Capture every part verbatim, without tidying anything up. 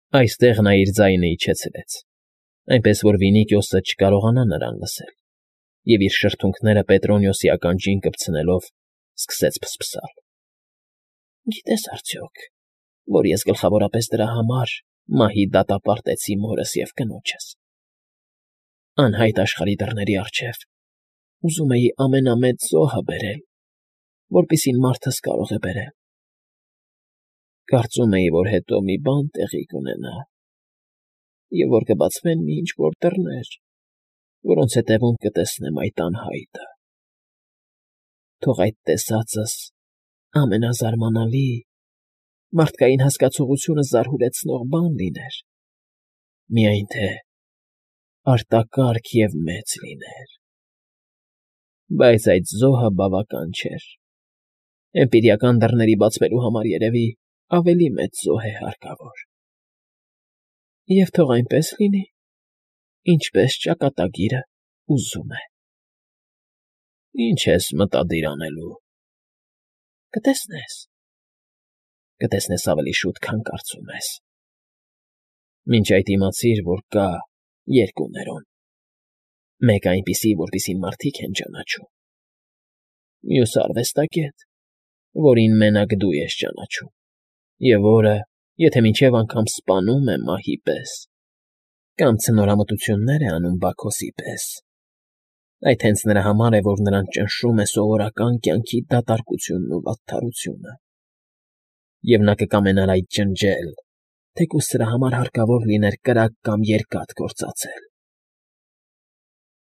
Այստեղ նա իր ձայնը իջեցրեց, այնպես որ Վինիքիոսը չկարողանա նրան լսել, և իր շրթունքները Պետրոնիոսի ականջին կպցնելով սկսեց ֆսֆսալ։ ֊ Գիտե՞ս արդյոք, որ ես գլխավորապես դրա համար մահի դատապարտեցի մորս և կնոջս… Անհայտ աշխարհի դռների առջև ուզում էի ամենամեծ զոհը բերել, որպեսզի մարդս կարող է բերել… Կարծում էի, որ հետո մի բան տեղի կունենա, և որ կբացվեն մի ինչ֊որ դռներ, որոնց ետևում կտեսնեմ այդ անհայտը… Թող այդ տեսածս ամենազարմանալի, մարդկային հասկացողությունը զարհուրեցնող բան լիներ, միայն թե արտակարգ և մեծ լիներ… Բայց այդ զոհը բավական չէր… Էմպիրիական դռների բացվելու համար, երևի, ավելի մեծ զոհ է հարկավոր… Եվ թող այնպես լինի, ինչպես ճակատագիրը ուզում է… ֊ Ի՞նչ ես մտադիր անելու… ֊ Կտեսնես… Կտեսնես ավելի շուտ, քան կարծում ես… Մինչ այդ իմացիր, որ կա երկու Ներոն. մեկը այնպիսի, որպիսին մարդիկ են ճանաչում, մյուսը արվեստագետ, որին մենակ դու ես ճանաչում, և որը, եթե մինչև անգամ սպանում է մահի պես, կամ ցնորամտություններ է անում Բաքոսի պես, այդ հենց նրա համար է, որ նրան ճնշում է սովորական կյանքի դատարկությունն ու վատթարությունը, և նա կկամենար այդ ջնջել, թեկուզ սրա համար հարկավոր լիներ կրակ կամ երկաթ գործածել…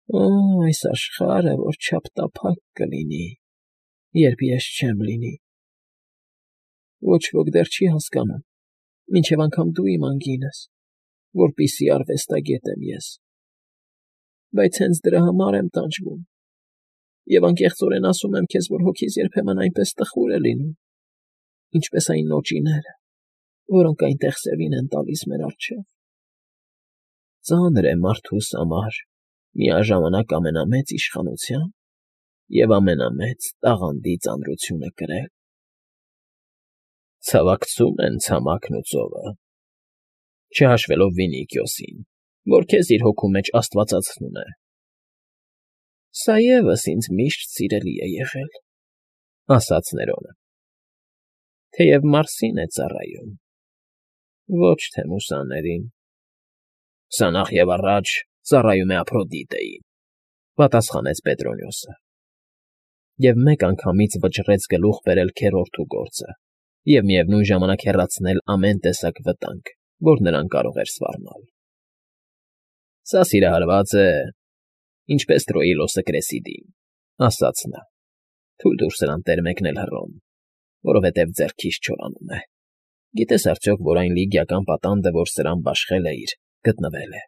Օ՜, այս աշխարհը որչափ տափակ կլինի, երբ ես չեմ լինի… Ոչ ոք դեռ չի հասկանում, մինչև անգամ դու իմ անգինս, որպիսի արվեստագետ եմ ես… Բայց հենց դրա համար եմ տանջվում, և անկեղծորեն ասում եմ քեզ, որ հոգիս երբեմն այնպես տխուր է լինում, ինչպես այն նոճիները, որոնք այնտեղ սևին են տալիս մեր առջև… Ծանր է մարդուս համար միաժամանակ ամենամեծ իշխանության և ամենամեծ տաղանդի ծանրությունը կրել… Ցավակցում են ցամաքն ու ծովը, չհաշվելով Վինիքիոսին, որ քեզ իր հոգու մեջ աստվածացնում է… Սա ևս ինձ միշտ սիրելի է եղել, ֊ ասաց Ներոնը, ֊ թեև Մարսին է ծառայում, ոչ թե մուսաներին… Սա նախևառաջ ծառայում է Ափրոդիտեին, ֊ պատասխանեց Պետրոնիոսը, և մեկ անգամից վճռեց գլուխ բերել քեռորդու գործը և միևնույն ժամանակ հեռացնել ամեն տեսակ վտանգ, որ նրան կարող էր սպառնալ։ ֊ Սա սիրահարված է, ինչպես Տրոիլոսը Կրեսիդին, ֊ ասաց նա. թույլ տուր սրան տեր մեկնել հռոմ, որովհետև ձեռքից չորանում է… Գիտես արդյոք, որ այն լիգիական պատանդը, որ սրան բաշխել էիր, գտնվել է,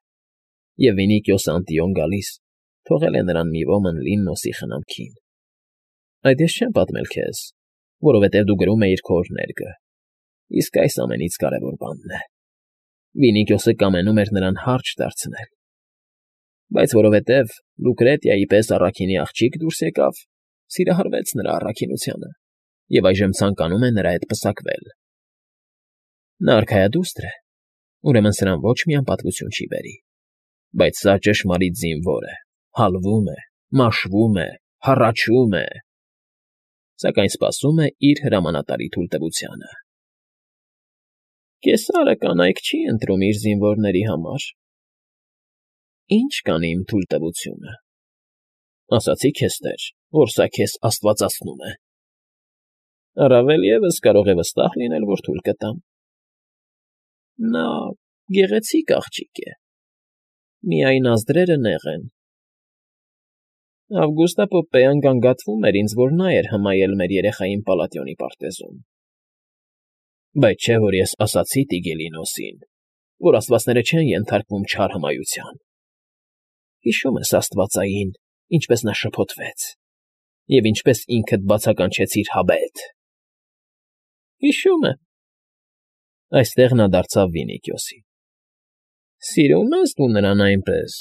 և Վինիքիոսը Անտիոն գալիս թողել է նրան մի ոմն Լիննոսի խնամքին… Այդ ես չեմ պատմել քեզ, որովհետև դու գրում էիր քո օրհներգը, իսկ այս ամենից կարևոր բանն է. Վինիքիոսը կամենում էր նրան հարջ դարձնել, բայց որովհետև Լուկրետիայի պես առաքինի աղջիկ դուրս եկավ, սիրահարվեց նրա առաքինությանը և այժմ ցանկանում է նրա հետ պսակվել… Նա արքայադուստր է, ուրեմն սրան ոչ մի անպատվություն չի բերի, բայց սա ճշմարիտ զինվոր է, հալվում է, մաշվում է, հառաչում է, սակայն սպասում է իր հրամանատարի թույլտվությանը… Կեսարը կանայք չի ընտրում իր զինվորների համար… Ի՞նչ կան իմ թույլտվությունը… Ասացի քեզ, տեր, որ սա քեզ աստվածացնում է… Առավել ևս կարող է վստահ լինել, որ թույլ կտամ… Նա գեղեցիկ աղջիկ է, միայն ազդրերը նեղ են… Ավգուստա Պոպպեյան գանգատվում էր ինձ, որ նա էր հմայել մեր երեխային Պալատիոնի պարտեզում… Բայց չէ՞ որ ես ասացի Տիգելինոսին, որ աստվածները չեն ենթարկվում չար հմայության… Հիշո՞ւմ ես աստվածային, ինչպես նա շփոթվեց, և ինչպես ինքդ բացականչեցիր հաբետ… ֊ Հիշում եմ… Այստեղ նա դարձավ Վինիքիոսին. Սիրո՞ւմ ես դու նրան այնպես,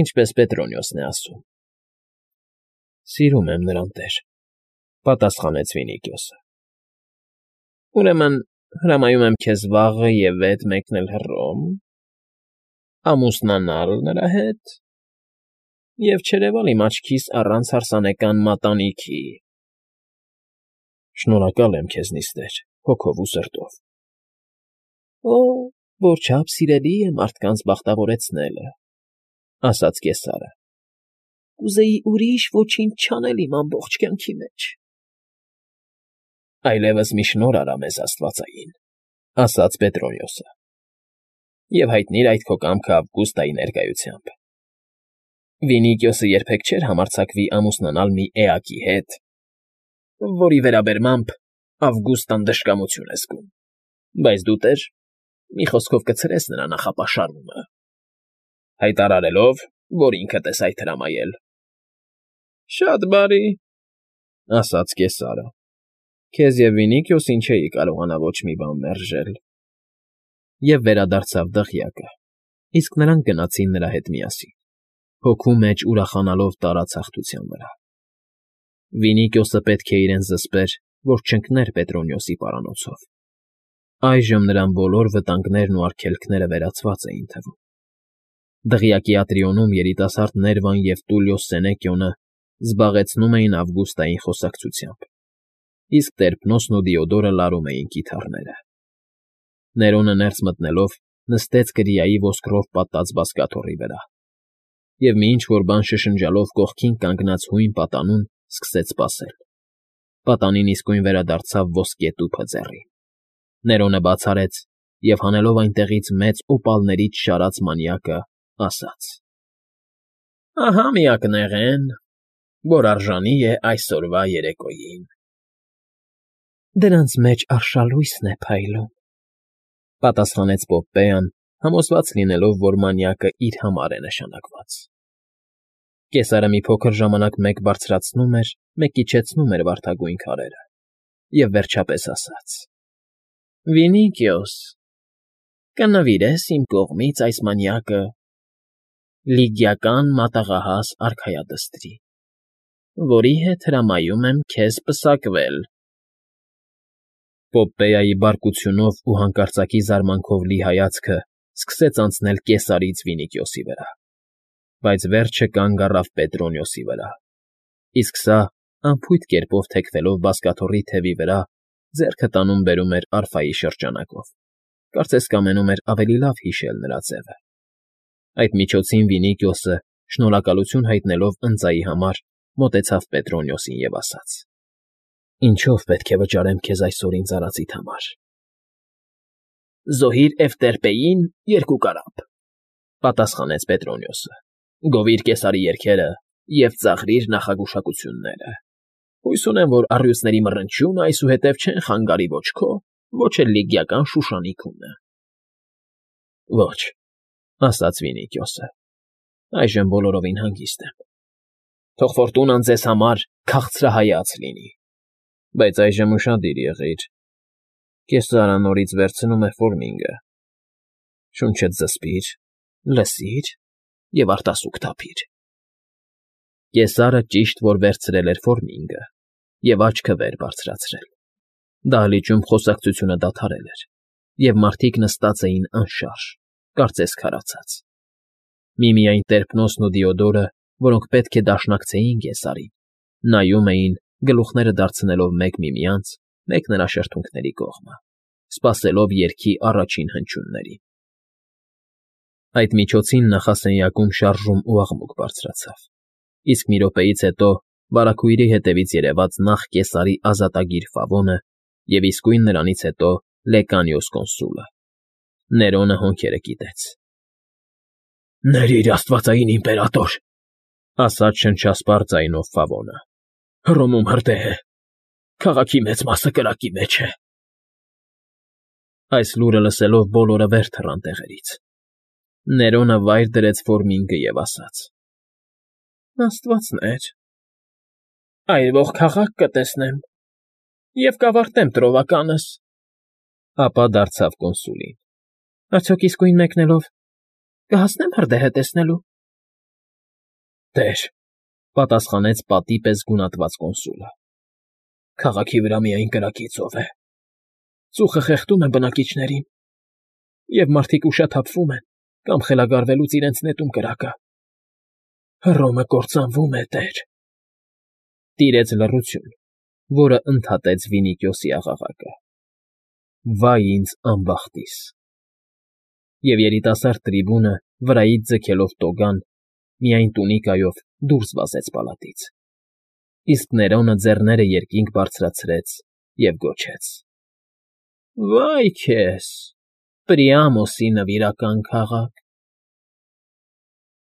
ինչպես Պետրոնիոսն է ասում… ֊ Սիրում եմ նրան, տեր, ֊ պատասխանեց Վինիքիոսը։ ֊ Ուրեմն Հրամայում եմ քեզ վաղը և վետ մեկնել Հռոմ, ամուսնանալ նրա հետ և չերևալ իմ աչքիս առանց հարսանեկան մատանիքի։ ֊ Շնորհակալ եմ քեզնից, տեր, հոգով ու սրտով։ ֊ Օ՜, որչափ սիրելի է մարդկանց բախտավորեցնելը,֊ ասաց կեսարը։ ֊ Կուզեի ուրիշ ոչինչ չանել իմ ամբողջ կյանքի մեջ։ ֊ Այլևս մի շնորհ արա մեզ աստվածային,֊ ասաց Պետրոնիոսը,֊ և հայտնիր այդ քո կամքը Ավգուստայի ներկայությամբ։ Վինիքիոսը երբեք չէր համարձակվի ամուսնանալ մի էակի հետ, որի վերաբերմամբ Ավգուստան դժկամություն է զգում, բայց դու, տեր, մի խոսքով կցրես նրա նախապաշարումը, հայտարարելով, որ ինքդ ես այդ հրամայել։ ֊ Շատ բարի,֊ ասաց կեսարը,֊ քեզ և Վինիքիոսին չէի կարողանա ոչ մի բան մերժել։ Եվ վերադարձավ դղյակը, իսկ նրանք գնացին նրա հետ միասին, հոգու մեջ ուրախանալով տարած հաղթության վրա։ Վինիքիոսը պետք է իրեն զսպեր, որ չընկներ Պետրոնիոսի պարանոցով։ Այժմ նրան բոլոր վտանգներն ու արգելքները վերացված էին թվում։ Դղյակի Ատրիոնում երիտասարդ Ներվան և Տուլիոս Սենեկիոնը զբաղեցնում էին Ավգուստային խոսակցությամբ, իսկ Տերփնոսն ու Դիոդորը լարում էին կիթառները։ Ներոնը ներս մտնելով նստեց կրիայի ոսկրով պատած բազկաթոռի վրա և մի ինչ֊որ բան շշնջալով կողքին կանգնած հույն պատանուն սկսեց սպասել։ Պատանին իսկույն վերադարձավ ոսկե տուփը ձեռին։ Ներոնը բաց արեց և, հանելով այնտեղից մեծ օպալներից շարած մանյակը, ասաց. ֊ Ահա միակնեղեն, որ արժանի է այսօրվա երեկոյին։ ֊ Դրանց մեջ արշալույսն է փայլում,֊ պատասխանեց Պոպպեան, համոզված լինելով, որ մանյակը իր համար է նշանակված։ Կեսարը մի փոքր ժամանակ մեկ բարձրացնում էր, մեկ իջեցնում էր վարդագույն քարերը և վերջապես ասաց. ֊ Վինիքիոս, կնվիրես իմ կողմից այս մանյակը լիգիական մատաղահաս արքայադստրի, որի հետ հրամայում եմ քեզ պսակվել։ Պոպպեայի բարկությունով ու հանկարծակի զարմանքով լի հայացքը սկսեց անցնել կեսարից Վինիքիոսի վրա, բայց վերջը կանգ առավ Պետրոնիոսի վրա, իսկ սա, անփույթ կերպով թեքվելով բազկաթոռի թևի վրա, ձեռքը տանում֊բերում էր արֆայի շրջանակով, կարծես կամենում էր ավելի լավ հիշել նրա ձևը։ Այդ միջոցին Վինիքիոսը, շնորհակալություն հայտնելով ընծայի համար, մոտեցավ Պետրոնիոսին և ասաց. ֊ Ինչո՞վ պետք է վճարեմ քեզ այսօր ինձ արածիդ համար։ ֊ Զոհիր Էվտերպեին երկու կարապ,֊ պատասխանեց Պետրոնիոսը,֊ գովիր կեսարի երգերը և ծաղրիր նախագուշակությունները։ Հույս ունեմ, որ առյուծների մռնչյունը այսուհետև չեն խանգարի ոչ քո, ոչ էլ լիգիական շուշանիքունը։ ֊ Ոչ,֊ ասաց Վինիքիոսը,֊ այժմ բոլորովին հանգիստ եմ։ Թող ֆորտունան ձեզ համար քաղցրահայաց լինի, բայց այժմ ուշադիր եղիր. կեսարը նորից վերցնում է Ֆորմինգը. շունչդ զսպիր, լսիր և արտասուք թափիր։ Կեսարը ճիշտ որ վերցրել էր Ֆորմինգը և աչքը վեր բարձրացրել։ Դահլիճում խոսակցությունը դադարել էր, և մարդիկ նստած էին անշարժ, կարծես քարացած։ Միմիայն Տերփնոսն ու Դիոդորը, որոնք պետք է դաշնակցեին կեսարին, նայում էին, գլուխները դարձնելով մեկ միմյանց, մեկ նրա շրթունքների կողմը, սպասելով երգի առաջին հնչյուններին։ Այդ միջոցին նախասենյակում շարժում ու աղմուկ բարձրացավ, իսկ մի րոպեից հետո վարագույրի հետևից երևաց նախ կեսարի ազատագիր Ֆավոնը և իսկույն նրանից հետո Լեկանիոս կոնսուլը։ Ներոնը հոնքերը կիտեց։ ֊ Ներիր, աստվածային իմպերատոր,֊ ասաց շնչասպառ ձայնով Ֆավոնը,֊ Հռոմում հրդեհ է, քաղաքի մեծ մասը կրակի մեջ է։ Այս լուրը լսելով բոլորը վեր թռան տեղերից։ Ներոնը վայր դրեց Ֆորմինգը և ասաց. ֊ Աստվածներ… այրվող քաղաք կտեսնեմ և կավարտեմ տրովականս… Ապա դարձավ կոնսուլին. ֊ Արդյոք իսկույն մեկնելով կհասնեմ հրդեհը տեսնելու։ ֊ Տեր,֊ պատասխանեց պատի պես գունատված կոնսուլը,֊ քաղաքի վրա միայն կրակի ծով է։ Ծուխը խեղդում է բնակիչներին, և մարդիկ ուշաթափվում են կամ խելագարվելուց իրենց նետում կրակը։ Հռոմը կործանվում է, տեր… Տիրեց լռություն, որը ընդհատեց Վինիքիոսի աղաղակը. «Վայ ինձ անբախտիս»։ Եվ երիտասարդ տրիբունը, վրայից ձգելով տոգան, միայն տունիկայով դուրս վազեց պալատից, իսկ Ներոնը ձեռները երկինք բարձրացրեց և գոչեց. ֊ Վա՜յ քեզ, Պրիամոսի նվիրական քաղաք։